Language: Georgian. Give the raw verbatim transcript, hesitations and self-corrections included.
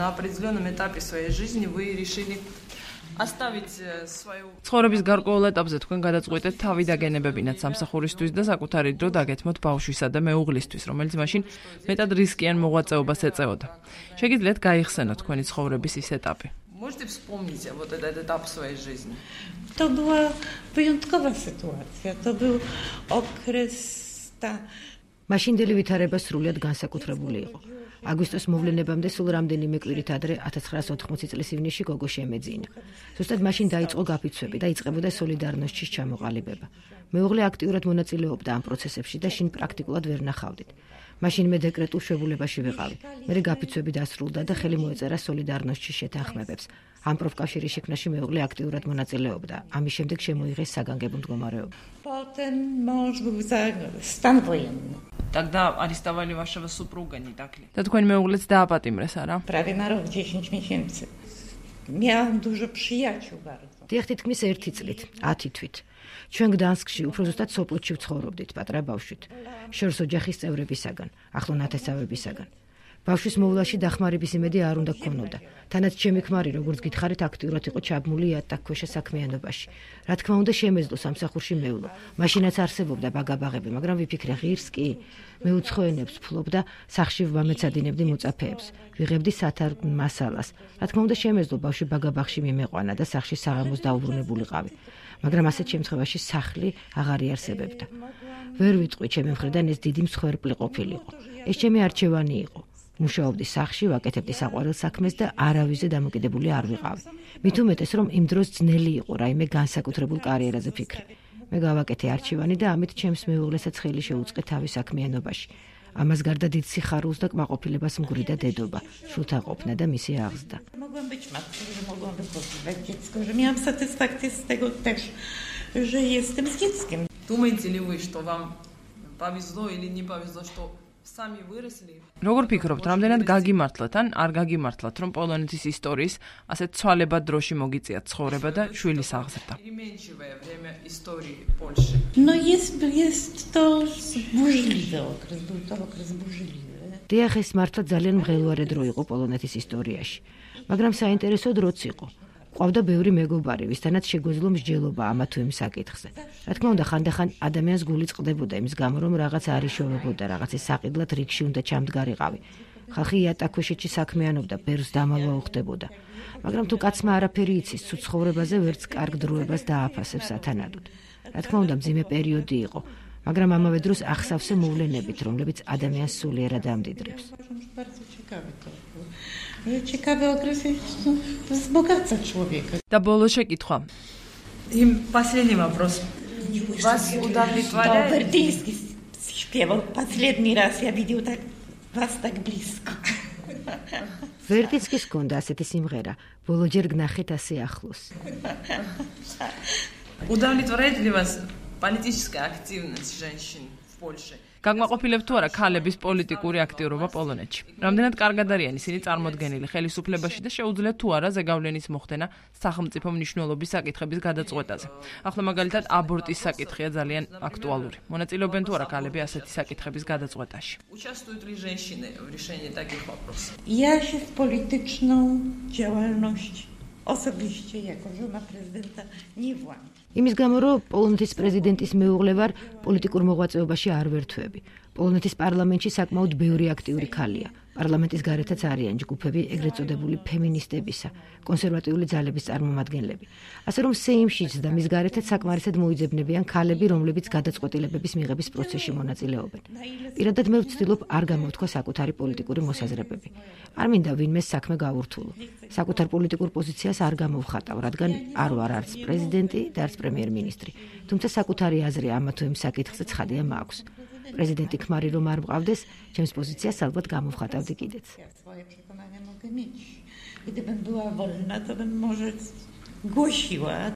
на определенном этапе своей жизни вы решили ცხოვრების გარკვეულ ეტაპზე თქვენ გადაწყვეტეთ თავი დაგენებებინათ სამსახურისთვის და საკუთარი დრო დაგეთმოთ ბავშვისა და მეუღლისთვის, რომელიც მაშინ მეტად რისკიან მოღვაწეობას ეწეოდა. შეგიძლიათ გაიხსენოთ თქვენი ცხოვრების ის ეტაპი? Можете вспомнить вот этот этап своей жизни? To była wyjątkowa sytuacja. To był okres ta მაშინდელი ვითარება სრულიად განსაკუთრებული იყო. აგვისტოს მოვლენებამდე სულ რამდენიმე კვირით ადრე ათას ცხრაასი ოთხმოცი წლის ივნისში გოგო შემეძინა. ზუსტად მაშინ დაიწყო გაფიცვები და იწყებოდა სოლიდარნოსჩის ჩამოყალიბება. მეუღლე აქტიურად მონაწილეობდა ამ პროცესებში და შინ პრაქტიკულად ვერ ნახავდით. მაშინ მე დეკრეტულ შვებულებაში ვიყავი. მერე გაფიცვები დასრულდა და ხელი მოეწერა სოლიდარნოსჩის შეთანხმებებს. ამ პროფკავშირის შექმნაში მეუღლე აქტიურად მონაწილეობდა. ამის შემდეგ შემოიღეს საგანგებო მდგომარეობა. Potem mąż był za stan wojenny. Тогда арестовали вашего супруга, не так ли? და თქვენ მეუღლეც დააპატიმრეს, არა? Prawie na rok dziesięć miesięcy. Miałam dużo przyjaciół bardzo. დიახ, თითქმის ერთი წლით, ათი თვით. ჩვენ გდანსკში, უფრო ზუსტად სოპოტში ვცხოვრობდით პატრა ბავშვით. შორს ოჯახის წევრებისაგან, ახლო ნათესავებისაგან. ბავშვის მოვლაში დახმარების იმედი არ უნდა გქონოდა. თანაც ჩემი ქმარი, როგორც გითხარით, აქტიურად იყო ჩაბმული იატაკქვეშა საქმიანობაში. რა თქმა უნდა, შემეძლო სამსახურში მევლო. მაშინაც არსებობდა ბაგაბაღები, მაგრამ ვიფიქრე ღირს კი. მე უცხო ენებს ვფლობ და სახში ვამეცადინებდი მოწაფეებს. ვიღებდი სათარ მასალას. რა თქმა უნდა, შემეძლო ბავშვი ბაგაბაღში მიმეყვანა და სახში საღამოს დაუბრუნებულიყავი. მაგრამ ასეთ შემთხვევაში სახლი აღარ იარსებებდა. ვერ ვიტყვი, ჩემი მხრიდან ეს დიდი მსხვერპლი ყოფილიყო. ეს ჩემი არჩევანი იყო. მუშაობდი სახში, ვაკეთებდი საყვარელ საქმეს და არავიზე დამოკიდებული არ ვიყავი. მით უმეტეს, რომ იმ დროს ძნელი იყო რაიმე განსაკუთრებულ კარიერაზე ფიქრი. მე გავაკეთე არჩევანი და ამით ჩემს მეუღლესაც ხელი შეუწყე თავის საქმიანობაში. ამას გარდა დიდ სიხარულს და კმაყოფილებას მგვრიდა დედობა, შულთა ყოფნა და მისი აღზრდა. Mogłam być matką, że mogłam wychowywać dziecko, że miałam satysfakcję z tego też, że jestem z dzieckiem. Думаете ли вы, что вам повезло или не повезло, что сами выросли? როგორ ფიქრობთ, რამდენად გაგიმართლათ ან არ გაგიმართლათ, რომ პოლონეთის ისტორიის ასეთ ცვალებად დროში მოგიწიათ ცხოვრება და შვილის აღზრდა? Переменчивое время истории Польши. No jest, jest to burzliwy okres, był to okres burzliwy. დიახ, ეს მართლა ძალიან მღელვარე დრო იყო პოლონეთის ისტორიაში, მაგრამ საინტერესო დროც იყო. ყავდა ბევრი მეგობარი, ვისთანაც შეგვეძლო მსჯელობა ამა თუ იმ საკითხზე. რა თქმა უნდა, ხანდახან ადამიანს გული წყდებოდა იმის გამო, რომ რაღაც არ იშოვებოდა, რაღაცის საყიდლად რიგში უნდა ჩამდგარიყავი. ხალხი იატაკქვეშეთში საქმიანობდა, ბერს დამალვა უხდებოდა. მაგრამ თუ კაცმა არაფერი იცის, თუ ცხოვრებაზე ვერც კარგ დროებას დააფასებს ათანადოდ. რა თქმა უნდა, მძიმე პერიოდი იყო, მაგრამ ამავე დროს ახსავსე მოვლენებით, რომლებიც ადამიანს სულიერად ამდიდრებს. Ciekawy okres wzbogaca człowieka. და ბოლო შეკითხვა. И последний вопрос. Вас удовлетворяет? Вертинский śpiewał последний раз, я видел так вас так близко. ვერტინსკის ჰქონდა ასეთი სიმღერა, ბოლოჯერ გნახეთ ასე ახლოს. Удовлетворяет ли вас политическая активность женщин в Польше? გაგმაყოფილებ თუ არა ქალების პოლიტიკური აქტიურობა პოლონეთში? რამდენად კარგად არიან ისინი წარმოდგენილი ხელისუფლებაში და შეუძლიათ თუ არა ზეგავლენის მოხდენა სახელმწიფო მნიშვნელობის საკითხების გადაწყვეტაზე? ახლა მაგალითად აბორტის საკითხია ძალიან აქტუალური. მონაწილეობენ თუ არა ქალები ასეთი საკითხების გადაწყვეტაში? Участвуют ли женщины в решении таких вопросов? Ja się w polityczną działalność osobiście jako żona prezydenta nie włączam. იმის გამო, რომ პოლონეთის პრეზიდენტის მეუღლე ვარ, პოლიტიკურ მოღვაწეობაში არ ვერთვები. პოლონეთის პარლამენტში საკმაოდ ბევრი აქტიური ქალია. პარლამენტის გარეთაც არიან ჯგუფები ეგრეთ წოდებული ფემინისტებისა, კონსერვატიული ძალების წარმომადგენლები. ასე რომ სეიმშიც და მის გარეთაც საკმარისად მოიძებნებიან ქალები, რომლებიც გადაწყვეტილებების მიღების პროცესში მონაწილეობენ. პირადად მე ვცდილობ არ გამოვთქვა საკუთარი პოლიტიკური მოსაზრებები. არ მინდა ვინმეს საქმე გავურთულო. საკუთარ პოლიტიკურ პოზიციას არ გამოვხატავ, რადგან არ ვარ არც პრეზიდენტი და არც პრემიერ-მინისტრი. თუმცა საკუთარი აზრი ამა თუ იმ საკითხზე ცხადია მაქვს. Prezydent ქმარი რომ არ მყავდეს, ჩემს პოზიციას ალბათ გამოვხატავდი კიდეც. Swoje przekonania mogę mieć. Gdybym była wolna, to bym może głosiła.